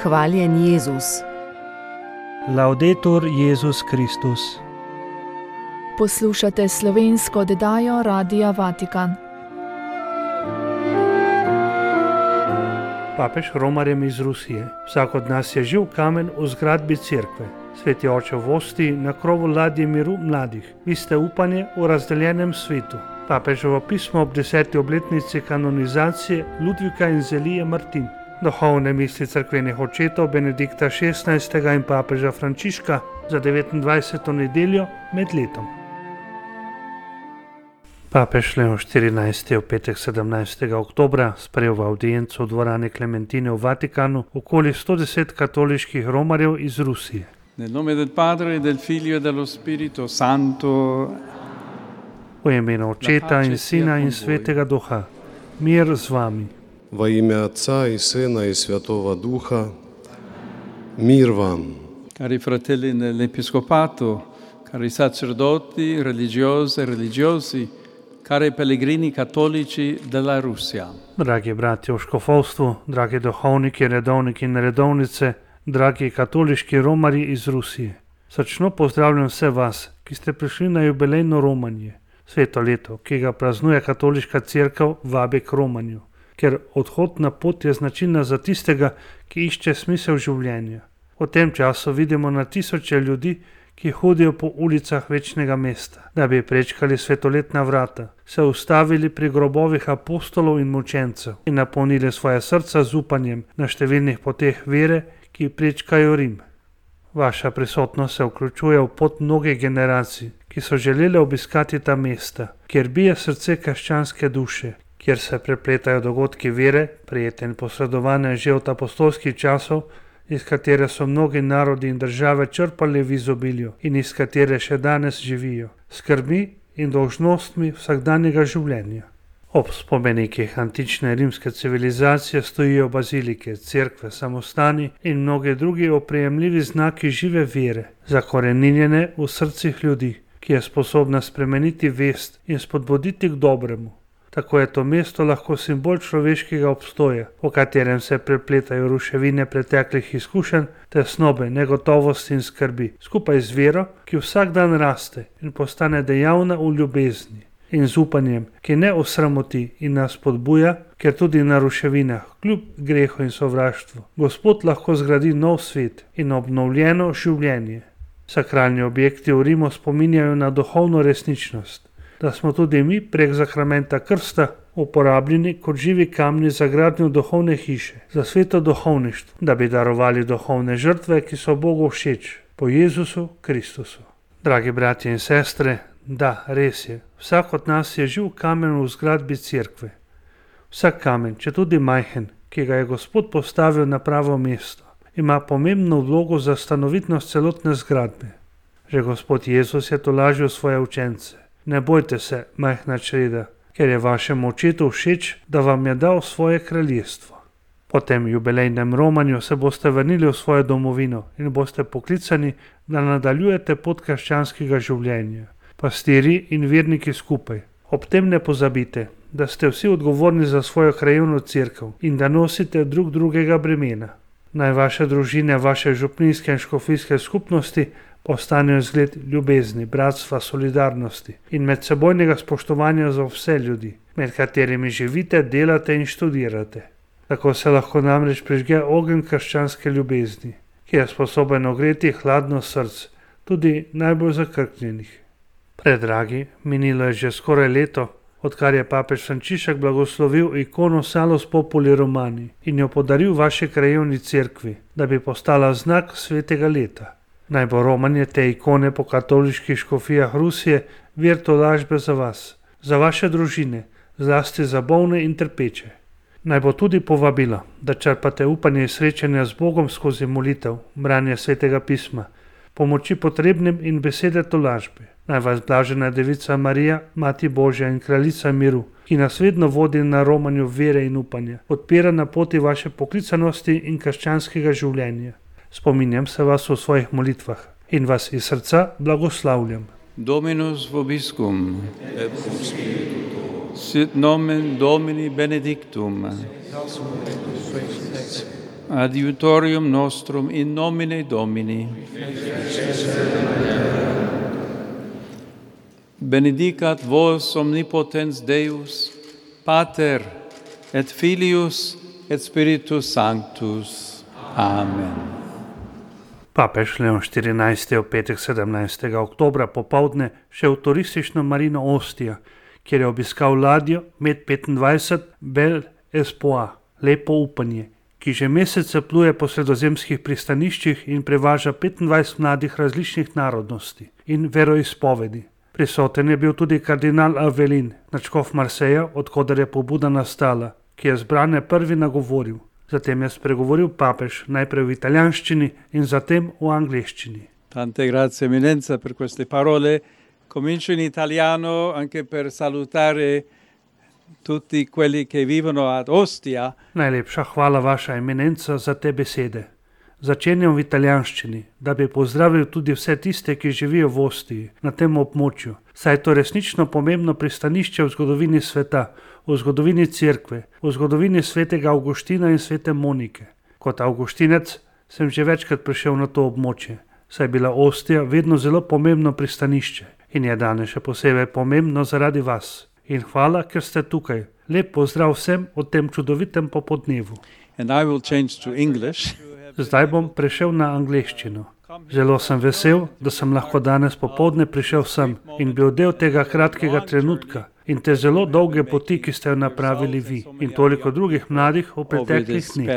Hvaljen Jezus. Laudetur Jezus Kristus. Poslušate slovensko oddajo Radia Vatikan. Papež romarjem iz Rusije. Vsak od nas je živ kamen v zgradbi cerkve. Sveti oče v Osti, na krovu ladje miru mladih. Vi ste upanje v razdeljenem svetu. Papeževo pismo ob 10. obletnici kanonizacije Ludvika in Zelije Martin. Duhovne misli cerkvenih očetov Benedikta XVI. In papeža Frančiška za 29. nedeljo med letom. Papež Leon XIV. Je v petek 17. oktobra sprejel v avdienco v dvorani Klementine v Vatikanu okoli 110 katoliških romarjev iz Rusije. Nel nome del Padre, del Figlio e dello Spirito Santo. V imenu Očeta in Sina in Svetega Duha. Mir z vami. Во имя Отца и Сына и Святого Духа. Мир вам. Cari fratelli nell'Episcopato, cari sacerdoti, religiose e religiosi, cari pellegrini cattolici della Russia. Dragi bratje v škofovstvu, dragi duhovniki, redovniki in redovnice, dragi katoliški romari iz Rusije. Srčno pozdravljam vse vas, ki ste prišli na jubilejno romanje. Sveto leto, ki ga praznuje katoliška cerkev, vabi k romanju, ker odhod na pot je značilna za tistega, ki išče smisel življenja. V tem času vidimo na tisoče ljudi, ki hodijo po ulicah večnega mesta, da bi prečkali svetoletna vrata, se ustavili pri grobovih apostolov in mučencev in napolnili svoje srca z upanjem na številnih poteh vere, ki prečkajo Rim. Vaša prisotnost se vključuje v pot mnogih generacij, ki so želeli obiskati ta mesta, kjer bije srce krščanske duše, kjer se prepletajo dogodki vere, prijete in posredovane že od apostolskih časov, iz katere so mnogi narodi in države črpali v izobilju in iz katere še danes živijo, skrbmi in dolžnostmi vsakdanjega življenja. Ob spomenikih antične rimske civilizacije stojijo bazilike, cerkve, samostani in mnogi drugi oprijemljivi znaki žive vere, zakoreninjene v srcih ljudi, ki je sposobna spremeniti vest in spodbuditi k dobremu. Tako je to mesto lahko simbol človeškega obstoja, v katerem se prepletajo ruševine preteklih izkušenj, tesnobe, negotovosti in skrbi, skupaj z vero, ki vsak dan raste in postane dejavna v ljubezni, in z upanjem, ki ne osramoti in nas spodbuja, ker tudi na ruševinah, kljub grehu in sovraštvu, Gospod lahko zgradi nov svet in obnovljeno življenje. Sakralni objekti v Rimu spominjajo na duhovno resničnost, da smo tudi mi prek zakramenta krsta uporabljeni kot živi kamni za gradnjo duhovne hiše, za sveto duhovništvo, da bi darovali duhovne žrtve, ki so Bogu všeč, po Jezusu Kristusu. Dragi bratje in sestre, da, res je, vsak od nas je živ kamen v zgradbi cerkve. Vsak kamen, če tudi majhen, ki ga je Gospod postavil na pravo mesto, ima pomembno vlogo za stanovitnost celotne zgradbe. Že Gospod Jezus je tolažil svoje učence. Ne bojte se, majhna čreda, ker je vašemu očetu všeč, da vam je dal svoje kraljestvo. Po tem jubilejnem romanju se boste vrnili v svojo domovino in boste poklicani, da nadaljujete pot krščanskega življenja. Pastirji in verniki skupaj. Ob tem ne pozabite, da ste vsi odgovorni za svojo krajevno cerkev in da nosite drug drugega bremena. Naj vaše družine, vaše župnijske in škofijske skupnosti postanejo zgled ljubezni, bratstva, solidarnosti in medsebojnega spoštovanja za vse ljudi, med katerimi živite, delate in študirate. Tako se lahko namreč prižge ogenj krščanske ljubezni, ki je sposoben ogreti hladno srce, tudi najbolj zakrknjenih. Predragi, minilo je že skoraj leto, odkar je papež Frančišek blagoslovil ikono Salus Populi Romani in jo podaril vaši krajevni cerkvi, da bi postala znak svetega leta. Naj bo romanje te ikone po katoliških škofijah Rusije vir tolažbe za vas, za vaše družine, zlasti za bolne in trpeče. Naj bo tudi povabilo, da črpate upanje in srečanja z Bogom skozi molitev, branje svetega pisma, pomoči potrebnim in besede tolažbe. Naj vas blažena Devica Marija, Mati Božja in Kraljica miru, ki nas vedno vodi na romanju vere in upanja, podpira na poti vaše poklicanosti in krščanskega življenja. Spominjam se vas v svojih molitvah in vas iz srca blagoslavljam. Dominus vobiscum. Et cum spiritu tuo. Sit nomen Domini benedictum. Adiutorium nostrum in nomine Domini. Benedicat vos omnipotens Deus, Pater et Filius et Spiritus Sanctus. Amen. Papež Leon XIV je v petek 17. oktobra popoldne šel v turistično marino Ostija, kjer je obiskal ladjo Med 25 Bel Espoir, lepo upanje, ki že mesece pluje po sredozemskih pristaniščih in prevaža 25 mladih različnih narodnosti in veroizpovedi. Prisoten je bil tudi kardinal Avelin, nadškof Marseja, odkoder je pobuda nastala, ki je zbrane prvi nagovoril. Zatem je spregovoril papež najprej v italijanščini in zatem v angleščini. Tante grazie eminenza per queste parole. Comincio in italiano anche per salutare tutti quelli che vivono ad Ostia. Najlepša hvala, vaša eminenca, za te besede. Začenjam v italijanščini, da bi pozdravil tudi vse tiste, ki živijo v Ostiji, na tem območju, saj je to resnično pomembno pristanišče v zgodovini sveta, v zgodovini cerkve, v zgodovini svetega Avguština in svete Monike. Kot avguštinec sem že večkrat prišel na to območje, saj je bila Ostija vedno zelo pomembno pristanišče in je danes še posebej pomembno zaradi vas. In hvala, ker ste tukaj. Lep pozdrav vsem v tem čudovitem popodnevu. And I will change to English. Zdaj bom prešel na angleščino. Zelo sem vesel, da sem lahko danes popoldne prišel sem in bil del tega kratkega trenutka in te zelo dolge poti, ki ste jo napravili vi in toliko drugih mladih v preteklih dneh.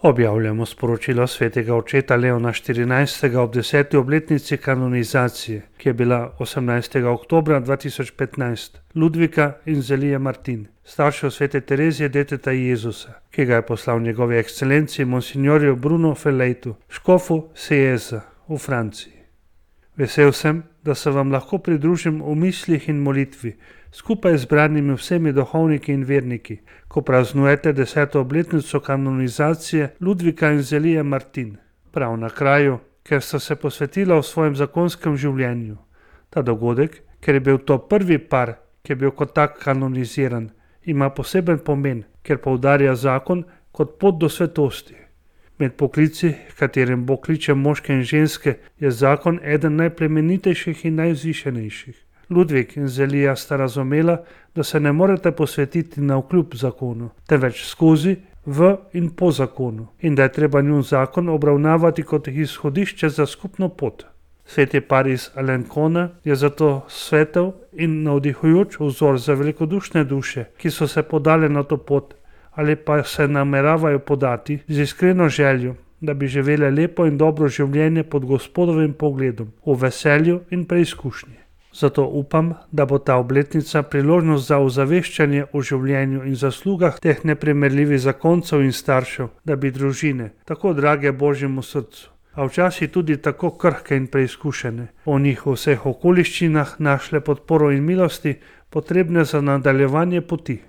Objavljamo sporočilo svetega očeta Leona XIV. Ob 10. obletnici kanonizacije, ki je bila 18. oktobra 2015, Ludvika in Zelije Martin, staršev svete Terezije deteta Jezusa, ki ga je poslal njegovi ekscelenciji monsignorju Bruno Felejtu, škofu Sejeza v Franciji. Vesel sem, da se vam lahko pridružim v mislih in molitvi, skupaj z branimi vsemi duhovniki in verniki, ko praznujete 10. obletnico kanonizacije Ludvika in Zelije Martin, prav na kraju, ker sta se posvetila v svojem zakonskem življenju. Ta dogodek, ker je bil to prvi par, ki je bil kot tak kanoniziran, ima poseben pomen, ker poudarja zakon kot pot do svetosti. Med poklici, katerim Bog kliče moške in ženske, je zakon eden najplemenitejših in najvzvišenejših. Ludvik in Zelija sta razumela, da se ne morete posvetiti navkljub zakonu, temveč skozi, v in po zakonu, in da je treba njun zakon obravnavati kot izhodišče za skupno pot. Sveti par iz Alencona je zato svetel in navdihujoč vzor za velikodušne duše, ki so se podale na to pot ali pa se nameravajo podati z iskreno željo, da bi živele lepo in dobro življenje pod Gospodovim pogledom, v veselju in preizkušnji. Zato upam, da bo ta obletnica priložnost za ozaveščanje o življenju in zaslugah teh neprimerljivih zakoncev in staršev, da bi družine, tako drage Božjemu srcu, a včasih tudi tako krhke in preizkušene, o njih v vseh okoliščinah našle podporo in milosti, potrebne za nadaljevanje poti.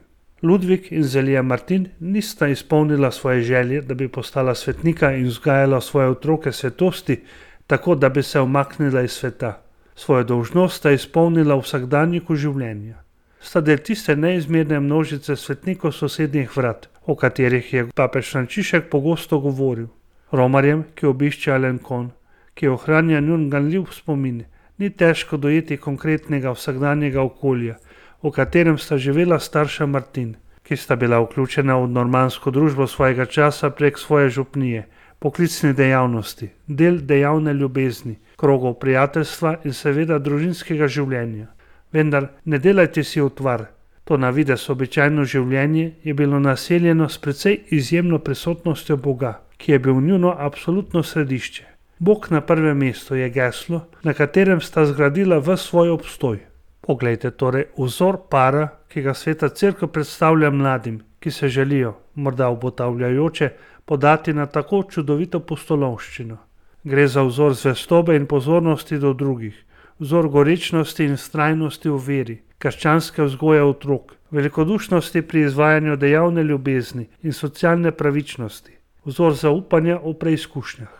Ludvik in Zelija Martin nista izpolnila svoje želje, da bi postala svetnika in vzgajala svoje otroke svetosti, tako da bi se umaknila iz sveta. Svojo dolžnost sta izpolnila v vsakdanjiku življenja. Sta del tiste neizmerne množice svetnikov sosednjih vrat, o katerih je papež Frančišek pogosto govoril. Romarjem, ki obišče Alencon, ki ohranja njun ganljiv spomin, ni težko dojeti konkretnega vsakdanjega okolja, v katerem sta živela starša Martin, ki sta bila vključena v normansko družbo svojega časa prek svoje župnije, poklicne dejavnosti, del dejavne ljubezni, krogov prijateljstva in seveda družinskega življenja. Vendar ne delajte si utvar. To na videz običajno življenje je bilo naseljeno s precej izjemno prisotnostjo Boga, ki je bil njuno absolutno središče. Bog na prvem mestu je geslo, na katerem sta zgradila ves svoj obstoj. Poglejte torej vzor para, ki ga sveta cerkev predstavlja mladim, ki se želijo, morda obotavljajoče, podati na tako čudovito pustolovščino. Gre za vzor zvestobe in pozornosti do drugih, vzor gorečnosti in vztrajnosti v veri, krščanske vzgoje otrok, velikodušnosti pri izvajanju dejavne ljubezni in socialne pravičnosti, vzor zaupanja v preizkušnjah.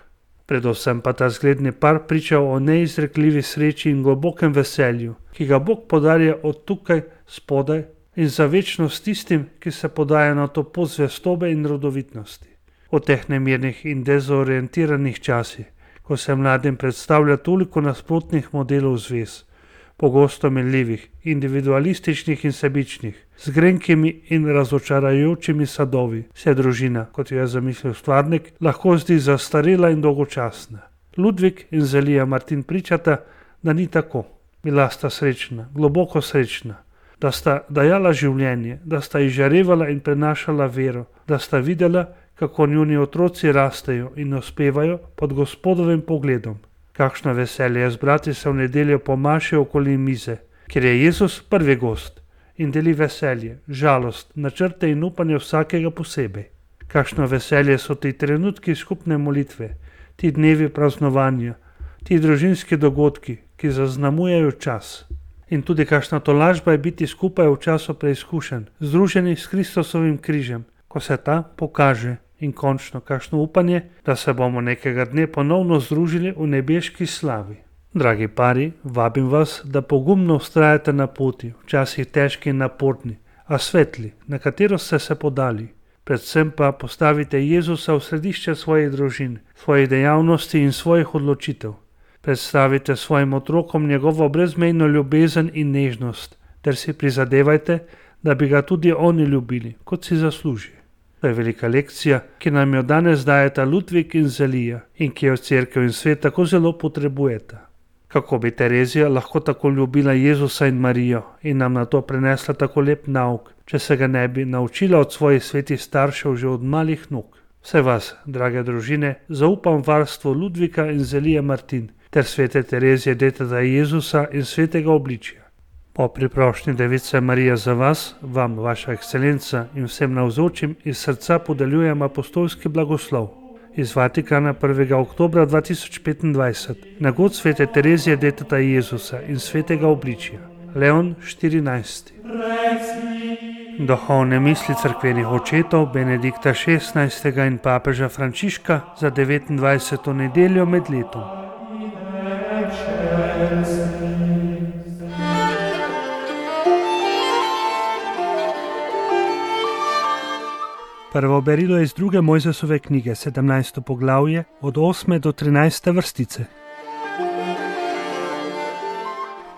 Predvsem pa ta zgledni par priča o neizrekljivi sreči in globokem veselju, ki ga Bog podarja od tukaj spodaj in za večnost tistim, ki se podajo na to pot zvestobe in rodovitnosti. v teh nemirnih in dezorientiranih časih, ko se mladim predstavlja toliko nasprotnih modelov zvez, pogosto menljivih, individualističnih in sebičnih, z grenkimi in razočarajočimi sadovi, se družina, kot jo je zamislil stvarnik, lahko zdi zastarela in dolgočasna. Ludvik in Zelija Martin pričata, da ni tako. Bila sta srečna, globoko srečna, da sta dajala življenje, da sta izžarevala in prenašala vero, da sta videla, kako njuni otroci rastejo in uspevajo pod Gospodovim pogledom. Kakšno veselje je zbrati se v nedeljo po maši okoli mize, kjer je Jezus prvi gost in deli veselje, žalost, načrte in upanje vsakega posebej. Kakšno veselje so ti trenutki skupne molitve, ti dnevi praznovanja, ti družinski dogodki, ki zaznamujejo čas. In tudi kakšna tolažba je biti skupaj v času preizkušenj, združeni s Kristusovim križem, ko se ta pokaže, in končno kakšno upanje, da se bomo nekega dne ponovno združili v nebeški slavi. Dragi pari, vabim vas, da pogumno vztrajate na poti, včasih težki in naporni, a svetli, na katero ste se podali. Predvsem pa postavite Jezusa v središče svojih družin, svojih dejavnosti in svojih odločitev. Predstavite svojim otrokom njegovo brezmejno ljubezen in nežnost, ter si prizadevajte, da bi ga tudi oni ljubili, kot si zasluži. To je velika lekcija, ki nam jo danes dajeta Ludvik in Zelija in ki jo cerkev in svet tako zelo potrebujeta. Kako bi Terezija lahko tako ljubila Jezusa in Marijo in nam na to prenesla tako lep nauk, če se ga ne bi naučila od svojih svetih staršev že od malih nog. Vse vas, drage družine, zaupam varstvo Ludvika in Zelije Martin ter svete Terezije deteta Jezusa in svetega obličja. Po priprošnji Device Marije za vas, vam, vaša ekscelenca in vsem navzočim iz srca podeljujem apostolski blagoslov. Iz Vatikana 1. oktobra 2025 na god svete Terezije deteta Jezusa in svetega obličja. Leon 14. Duhovne misli cerkvenih očetov Benedikta XVI. In papeža Frančiška za 29. nedeljo med letom. Prvo berilo iz 2. Mojzesove knjige, 17. poglavje, od 8. do 13. vrstice.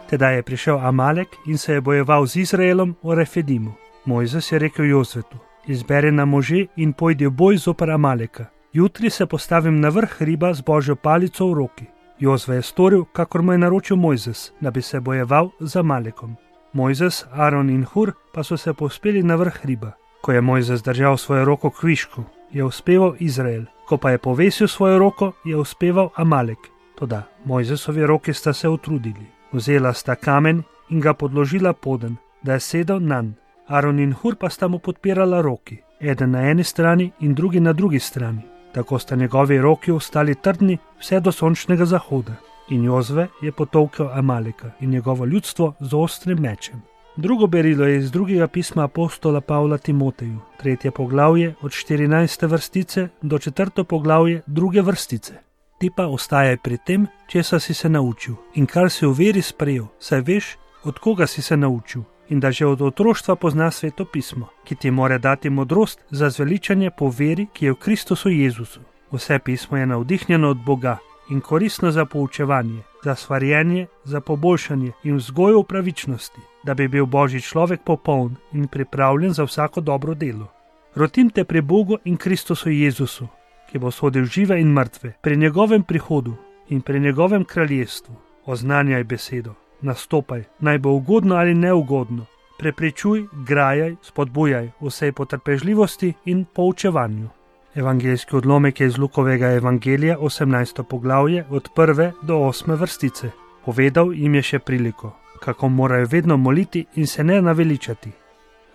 Tedaj je prišel Amalek in se je bojeval z Izraelom v Refedimu. Mojzes je rekel Jozvetu: izberi nam može in pojdi v boj zoper Amaleka. Jutri se postavim na vrh hriba z Božjo palico v roki. Jozve je storil, kakor mu je naročil Mojzes, da bi se bojeval z Amalekom. Mojzes, Aron in Hur pa so se povzpeli na vrh hriba. Ko je Mojzes držal svojo roko k višku, je uspeval Izrael. Ko pa je povesil svojo roko, je uspeval Amalek. Toda Mojzesovi roki sta se utrudili. Vzela sta kamen in ga podložila poden, da je sedel nanj. Aron in Hur pa sta mu podpirala roki, eden na eni strani in drugi na drugi strani. Tako sta njegovi roki ostali trdni vse do sončnega zahoda. In Jozve je potolkel Amaleka in njegovo ljudstvo z ostrim mečem. Drugo berilo je iz drugega pisma apostola Pavla Timoteju, 3. poglavje od 14. vrstice do 4. poglavje 2. vrstice. Ti pa ostajaj pri tem, česa si se naučil in kar si v veri sprejel, saj veš, od koga si se naučil in da že od otroštva pozna Sveto pismo, ki ti more dati modrost za zveličanje po veri, ki je v Kristusu Jezusu. Vse pismo je navdihnjeno od Boga in koristno za poučevanje, za svarjenje, za poboljšanje in vzgojo v pravičnosti, da bi bil Božji človek popoln in pripravljen za vsako dobro delo. Rotim te pri Bogu in Kristusu Jezusu, ki bo sodil žive in mrtve, pri njegovem prihodu in pri njegovem kraljestvu. Oznanjaj besedo, nastopaj, naj bo ugodno ali neugodno, prepričuj, grajaj, spodbujaj vsej potrpežljivosti in poučevanju. Evangeljski odlomek je iz Lukovega evangelija, 18. poglavje, od 1. do 8. vrstice. Povedal jim je še priliko, kako morajo vedno moliti in se ne naveličati.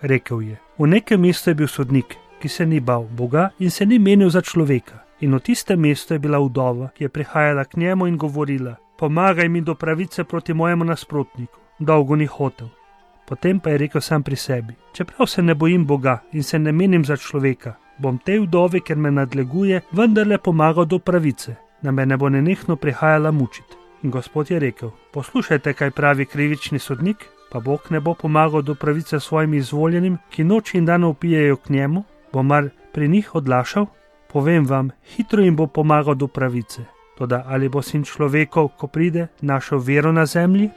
Rekel je: v nekem mestu je bil sodnik, ki se ni bal Boga in se ni menil za človeka. In v tistem mestu je bila vdova, ki je prihajala k njemu in govorila: pomagaj mi do pravice proti mojemu nasprotniku. Dolgo ni hotel. Potem pa je rekel sam pri sebi: čeprav se ne bojim Boga in se ne menim za človeka, bom tej vdovi, ker me nadleguje, vendarle pomagal do pravice, da me ne bo nenehno prihajala mučiti. In Gospod je rekel: poslušajte, kaj pravi krivični sodnik, pa Bog ne bo pomagal do pravice svojim izvoljenim, ki noč in dan vpijejo k njemu, bo mar pri njih odlašal? Povem vam, hitro jim bo pomagal do pravice. Toda ali bo Sin človekov, ko pride, našel vero na zemlji?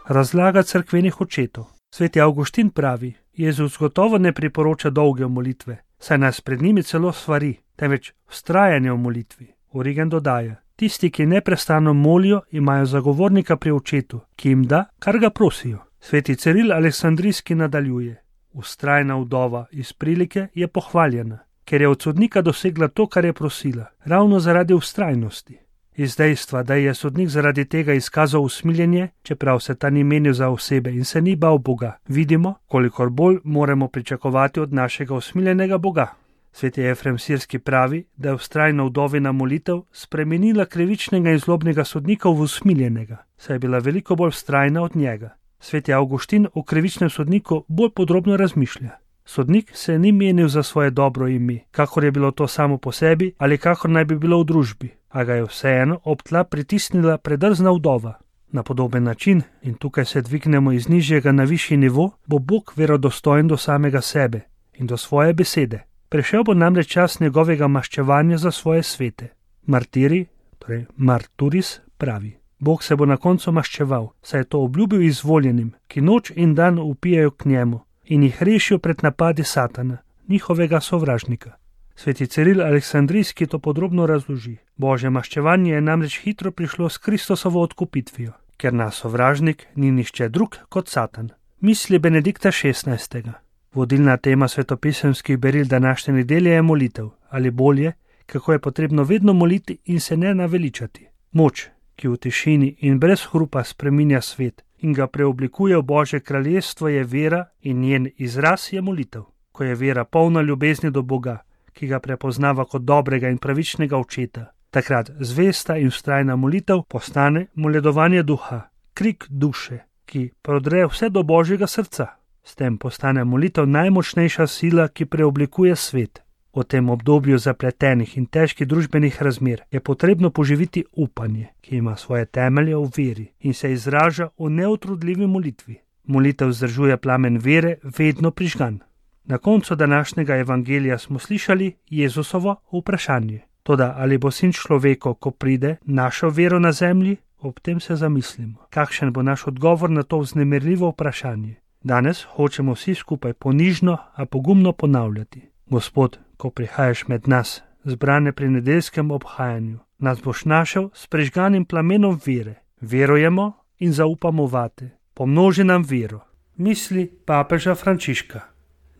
Razlaga cerkvenih očetov. Sveti Avguštin pravi, Jezus gotovo ne priporoča dolge molitve, saj nas pred njimi celo svari, temveč vztrajanje v molitvi. Origen dodaja, tisti, ki neprestano molijo, imajo zagovornika pri očetu, ki jim da, kar ga prosijo. Sveti Ciril Aleksandrijski nadaljuje, vztrajna vdova iz prilike je pohvaljena, ker je od sodnika dosegla to, kar je prosila, ravno zaradi vztrajnosti. Iz dejstva, da je sodnik zaradi tega izkazal usmiljenje, čeprav se ta ni menil za osebe in se ni bal Boga, vidimo, kolikor bolj moramo pričakovati od našega usmiljenega Boga. Sveti Efrem Sirski pravi, da je vztrajna vdovina molitev spremenila krivičnega in zlobnega sodnika v usmiljenega, saj je bila veliko bolj vztrajna od njega. Sveti Avguštin o krivičnem sodniku bolj podrobno razmišlja. Sodnik se ni menil za svoje dobro ime, kakor je bilo to samo po sebi ali kakor naj bi bilo v družbi, a ga je vseeno ob tla pritisnila predrzna vdova. Na podoben način, in tukaj se dvignemo iz nižjega na višji nivo, bo Bog verodostojen do samega sebe in do svoje besede. Prišel bo namreč čas njegovega maščevanja za svoje svete. Martiri, torej Marturis, pravi. Bog se bo na koncu maščeval, saj je to obljubil izvoljenim, ki noč in dan vpijajo k njemu in jih rešijo pred napadi Satana, njihovega sovražnika. Sveti Ciril Aleksandrijski to podrobno razloži. Božje maščevanje je namreč hitro prišlo s Kristusovo odkupitvijo, ker naš sovražnik ni nišče drug kot Satan. Misli Benedikta XVI. Vodilna tema svetopisemskih beril današnje nedelje je molitev, ali bolje, kako je potrebno vedno moliti in se ne naveličati. Moč, ki v tišini in brez hrupa spreminja svet in ga preoblikuje v Božje kraljestvo, je vera in njen izraz je molitev. Ko je vera polna ljubezni do Boga, ki ga prepoznava kot dobrega in pravičnega očeta, takrat zvesta in vztrajna molitev postane moledovanje duha, krik duše, ki prodre vse do Božjega srca. S tem postane molitev najmočnejša sila, ki preoblikuje svet. V tem obdobju zapletenih in težkih družbenih razmer je potrebno poživiti upanje, ki ima svoje temelje v veri in se izraža v neutrudljivi molitvi. Molitev vzdržuje plamen vere vedno prižgan. Na koncu današnjega evangelija smo slišali Jezusovo vprašanje. Toda ali bo Sin človekov, ko pride, našel vero na zemlji? Ob tem se zamislimo, kakšen bo naš odgovor na to vznemirljivo vprašanje. Danes hočemo vsi skupaj ponižno, a pogumno ponavljati. Gospod, ko prihajaš med nas, zbrane pri nedeljskem obhajanju, nas boš našel s prižganim plamenom vere. Verujemo in zaupamo vate. Pomnoži nam vero. Misli papeža Frančiška.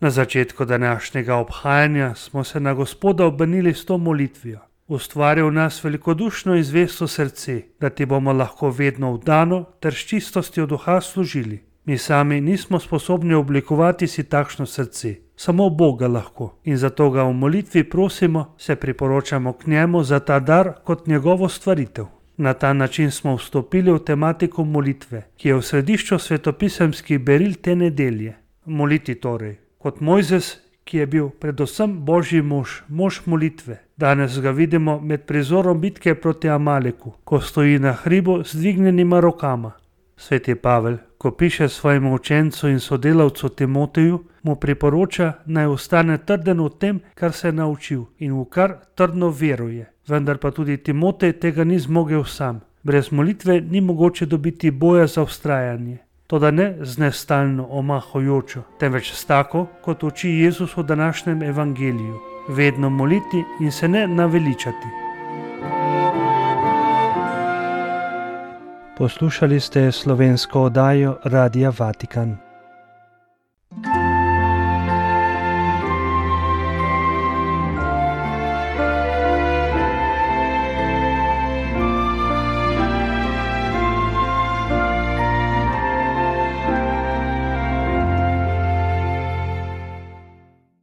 Na začetku današnjega obhajanja smo se na Gospoda obrnili s to molitvijo. Ustvari v nas velikodušno in zvesto srce, da ti bomo lahko vedno vdano ter s čistostjo duha služili. Mi sami nismo sposobni oblikovati si takšno srce, samo Bog ga lahko in zato ga v molitvi prosimo, se priporočamo k njemu za ta dar kot njegovo stvaritev. Na ta način smo vstopili v tematiko molitve, ki je v središču svetopisemskih beril te nedelje. Moliti torej, kot Mojzes, ki je bil predvsem Božji mož, mož molitve. Danes ga vidimo med prizorom bitke proti Amaleku, ko stoji na hribu z dvignjenima rokama. Sveti Pavel, ko piše svojemu učencu in sodelavcu Timoteju, mu priporoča, naj ostane trden v tem, kar se je naučil in v kar trdno veruje. Vendar pa tudi Timotej tega ni zmogel sam. Brez molitve ni mogoče dobiti boja za vztrajanje. Toda ne z nestalno omahajočo, temveč s tako, kot uči Jezus v današnjem evangeliju. Vedno moliti in se ne naveličati. Poslušali ste slovensko oddajo Radia Vatikan.